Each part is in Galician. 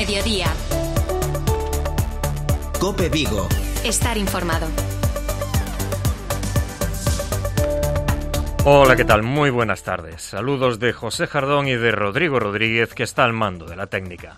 Mediodía. COPE Vigo. Estar informado. Hola, ¿qué tal? Muy buenas tardes. Saludos de José Jardón y de Rodrigo Rodríguez, que está al mando de la técnica.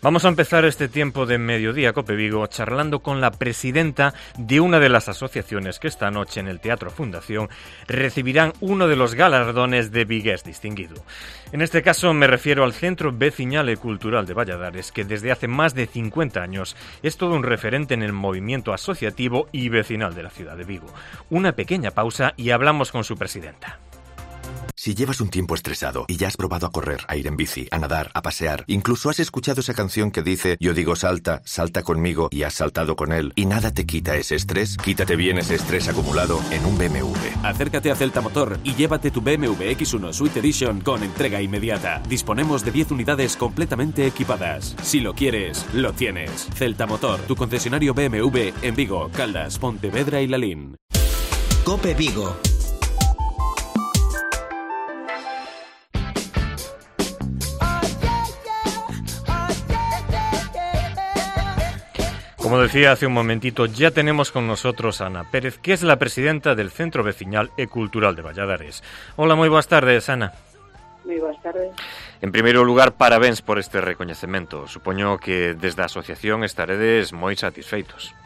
Vamos a empezar este tiempo de Mediodía COPE Vigo charlando con la presidenta de una de las asociaciones que esta noche en el Teatro Fundación recibirán uno de los galardones de Vigués Distinguido. En este caso me refiero al Centro Veciñal e Cultural de Valladares, que desde hace más de 50 años es todo un referente en el movimiento asociativo y vecinal de la ciudad de Vigo. Una pequeña pausa y hablamos con su presidenta. Si llevas un tiempo estresado y ya has probado a correr, a ir en bici, a nadar, a pasear, incluso has escuchado esa canción que dice "Yo digo salta, salta conmigo" y has saltado con él y nada te quita ese estrés, quítate bien ese estrés acumulado en un BMW. Acércate a Celta Motor y llévate tu BMW X1 Suite Edition con entrega inmediata. Disponemos de 10 unidades completamente equipadas. Si lo quieres, lo tienes. Celta Motor, tu concesionario BMW en Vigo, Caldas, Pontevedra y Lalín. COPE Vigo. Como decía hace un momentito, ya tenemos con nosotros a Ana Pérez, que es la presidenta del Centro Veciñal e Cultural de Valladares. Hola, moi boas tardes, Ana. Moi boas tardes. En primeiro lugar, parabéns por este recoñecemento. Supoño que desde a asociación estaredes moi satisfeitos.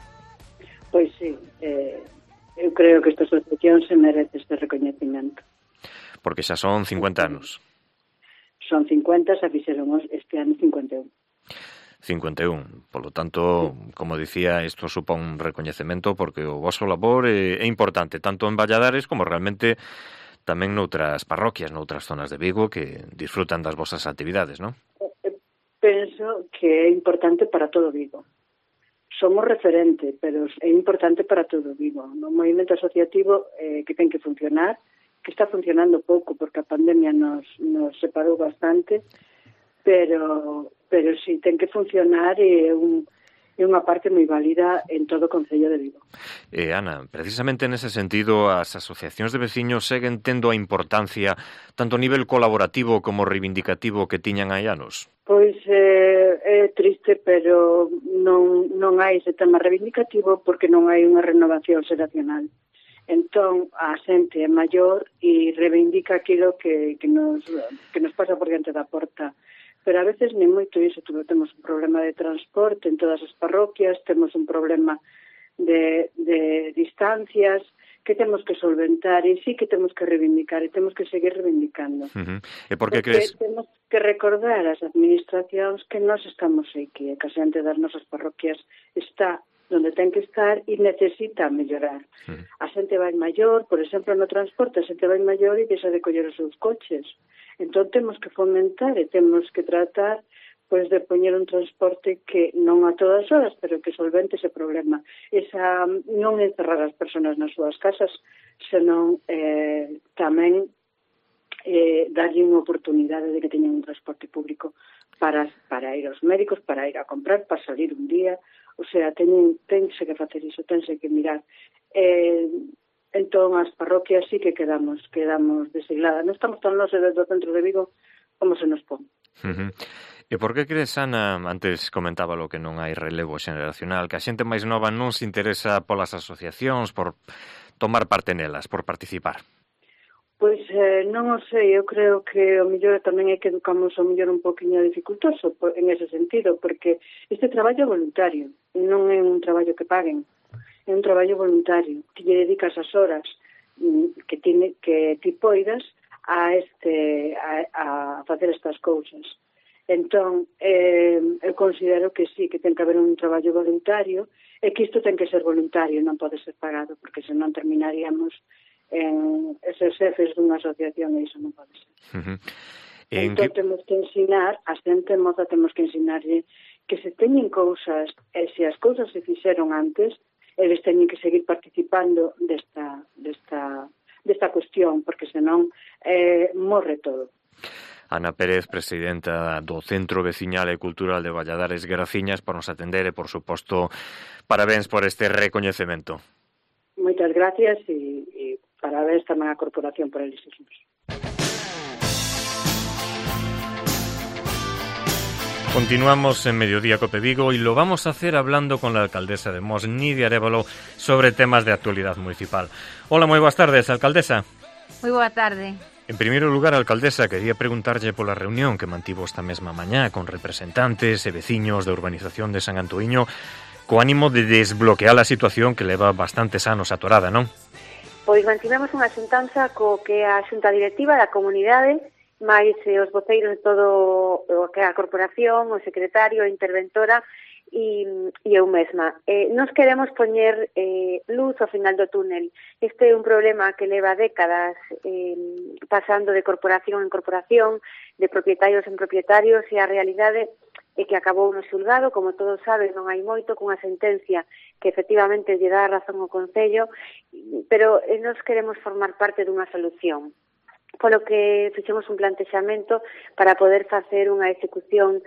Pois sí, eu creo que esta asociación se merece este recoñecemento. Porque xa son 50 anos. Son 50, xa fixeramos este ano 51. 51. Polo tanto, como dicía, isto supón un recoñecemento porque o vosso labor é importante, tanto en Valladares como realmente tamén noutras parroquias, noutras zonas de Vigo que disfrutan das vosas actividades, non? Penso que é importante para todo Vigo. Somos referente, pero é importante para todo Vigo. No movimento asociativo que ten que funcionar, que está funcionando pouco porque a pandemia nos separou bastante, pero si ten que funcionar e é unha parte moi válida en todo o Concello de Vigo. Ana, precisamente nese sentido, as asociacións de veciños seguen tendo a importancia tanto a nivel colaborativo como reivindicativo que tiñan hai anos? Pois é triste, pero non hai ese tema reivindicativo porque non hai unha renovación xeracional. Entón, a xente é maior e reivindica aquilo que nos pasa por diante da porta. Pero a veces nem moito iso, temos un problema de transporte en todas as parroquias, temos un problema de distancias que temos que solventar e sí que temos que reivindicar e temos que seguir reivindicando. E por que crees? Temos que recordar ás administracións que nós estamos aquí, que a xente das nosas parroquias está onde ten que estar e necesita mellorar. A xente vai maior, por exemplo, no transporte, a xente vai maior e deixa de coller os seus coches. Entón temos que fomentar e temos que tratar pois de poñer un transporte que non a todas horas, pero que solvente ese problema. Esa non encerrar as persoas nas súas casas, senón tamén darlle unha oportunidade de que teñan un transporte público para ir aos médicos, para ir a comprar, para salir un día. O sea, tense que facer iso, tense que mirar. Entón, as parroquias sí que quedamos desigladas. Non estamos tan longe do centro de Vigo como se nos pon. E por que crees, Ana, antes comentábalo que non hai relevo xeneracional, que a xente máis nova non se interesa polas asociacións, por tomar parte nelas, por participar? Pois non o sei, eu creo que o mellor tamén é que educamos o mellor un poquinho dificultoso en ese sentido, porque este traballo é voluntario, non é un traballo que paguen. É un traballo voluntario, que lle dedicas as horas que ti poidas a facer estas cousas. Entón, eu considero que sí, que ten que haber un traballo voluntario e que isto ten que ser voluntario, non pode ser pagado, porque senón terminaríamos en eses xefes dunha asociación e iso non pode ser. Entón, temos que ensinar, a xente moza temos que ensinarlle que se teñen cousas, e se as cousas se fixeron antes, eles teñen que seguir participando desta cuestión, porque senón morre todo. Ana Pérez, presidenta do Centro Veciñal e Cultural de Valladares, graciñas por nos atender e, por suposto, parabéns por este recoñecemento. Moitas gracias e parabéns tamén á Corporación por elegirnos. Continuamos en Mediodía Cope Vigo y lo vamos a hacer hablando con la alcaldesa de Mos, Nidia Arévalo, sobre temas de actualidad municipal. Hola, moi boas tardes, alcaldesa. Moi boa tarde. En primeiro lugar, alcaldesa, quería preguntarlle pola reunión que mantivo esta mesma mañá con representantes e veciños da urbanización de San Antoíño co ánimo de desbloquear a situación que leva bastantes anos atorada, non? Pois mantivemos unha xuntanza co que a xunta directiva da comunidade máis os voceiros de todo o que é a corporación, o secretario, a interventora e eu mesma. Nos queremos poñer luz ao final do túnel. Este é un problema que leva décadas pasando de corporación en corporación, de propietarios en propietarios, e a realidade é que acabou no xulgado, como todos saben, non hai moito, cunha sentencia que efectivamente lle dá razón ao Concello, pero nos queremos formar parte dunha solución. Polo que fixemos un plantexamento para poder facer unha execución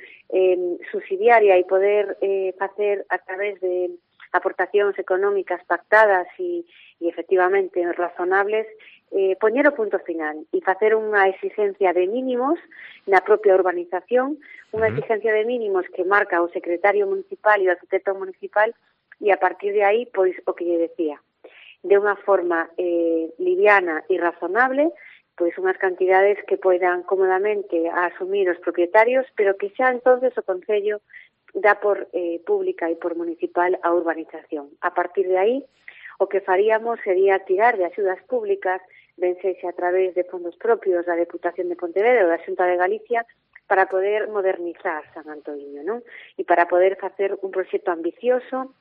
subsidiaria e poder facer a través de aportacións económicas pactadas e efectivamente razonables, poñer o punto final e facer unha exigencia de mínimos na propia urbanización, unha exigencia de mínimos que marca o secretario municipal e o arquitecto municipal, e a partir de aí, pois, o que lle decía, de unha forma liviana e razonable, pois unhas cantidades que poidan cómodamente asumir os propietarios, pero que xa entonces o Concello dá por pública e por municipal a urbanización. A partir de aí, o que faríamos sería tirar de axudas públicas, ben sexa a través de fondos propios da Deputación de Pontevedra ou da Xunta de Galicia, para poder modernizar San Antoíño, non? E para poder facer un proxecto ambicioso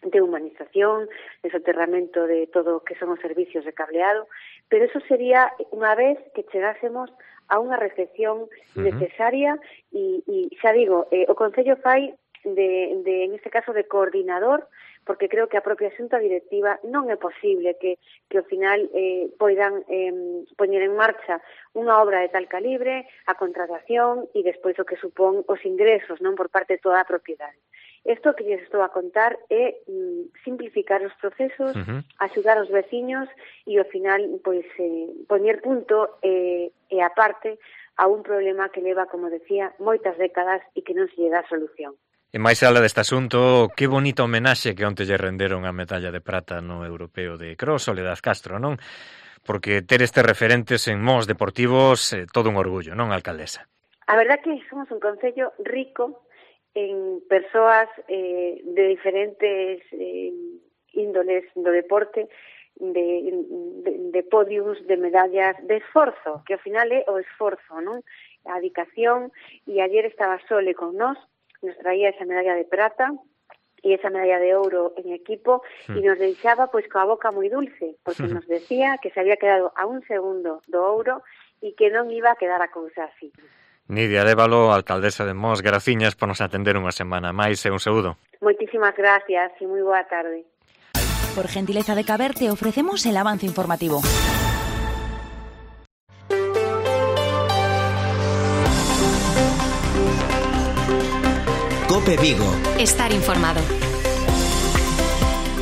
de humanización, de soterramento de todo o que son os servicios de cableado, pero eso sería unha vez que chegásemos a unha reflexión necesaria e xa digo, o Concello fai en este caso de coordinador, porque creo que a propia xunta directiva non é posible que ao final poidan poñer en marcha unha obra de tal calibre, a contratación e despois o que supón os ingresos, non, por parte de toda a propiedade. Isto que lles estou a contar é simplificar os procesos, axudar os veciños e ao final pois poñer punto e aparte a un problema que leva, como decía, moitas décadas e que non se lle dá solución. E máis ala deste asunto, que bonita homenaxe que onte lle renderon a medalla de prata no Europeo de Cross, Soledad Castro, non? Porque ter estes referentes en Mos deportivos é todo un orgullo, non, alcaldesa? A verdad que somos un concello rico en persoas de diferentes índoles do deporte, de podiums, de medallas, de esforzo, que ao final é o esforzo, non? A dedicación, e ayer estaba Sole con nós, nos traía esa medalla de prata e esa medalla de ouro en equipo e nos deixaba pois coa boca moi dulce, porque nos decía que se había quedado a un segundo do ouro e que non iba a quedar a cousa así. Nidia Arévalo, alcaldesa de Mos, graciñas por nos atender unha semana máis e un saúdo. Moitísimas gracias e moi boa tarde. Por gentileza de Caber te ofrecemos el avance informativo. Cope Vigo. Estar informado.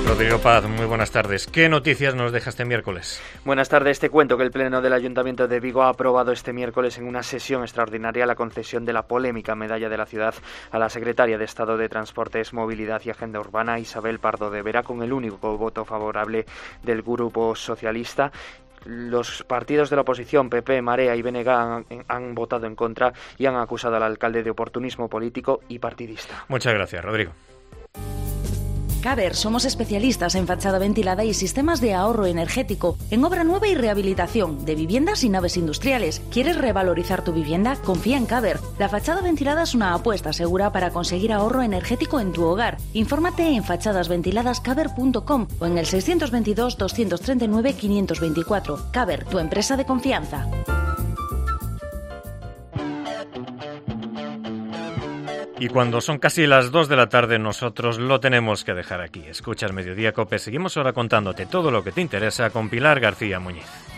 Rodrigo Paz, muy buenas tardes. ¿Qué noticias nos deja este miércoles? Buenas tardes. Te cuento que el Pleno del Ayuntamiento de Vigo ha aprobado este miércoles en una sesión extraordinaria la concesión de la polémica medalla de la ciudad a la secretaria de Estado de Transportes, Movilidad y Agenda Urbana, Isabel Pardo de Vera, con el único voto favorable del Grupo Socialista. Los partidos de la oposición, PP, Marea y BNG, han votado en contra y han acusado al alcalde de oportunismo político y partidista. Muchas gracias, Rodrigo. Caber, somos especialistas en fachada ventilada y sistemas de ahorro energético, en obra nueva y rehabilitación de viviendas y naves industriales. ¿Quieres revalorizar tu vivienda? Confía en Caber. La fachada ventilada es una apuesta segura para conseguir ahorro energético en tu hogar. Infórmate en fachadasventiladascaber.com o en el 622 239 524. Caber, tu empresa de confianza. Y cuando son casi las 2 de la tarde, nosotros lo tenemos que dejar aquí. Escuchas Mediodía Cope. Seguimos ahora contándote todo lo que te interesa con Pilar García Muñiz.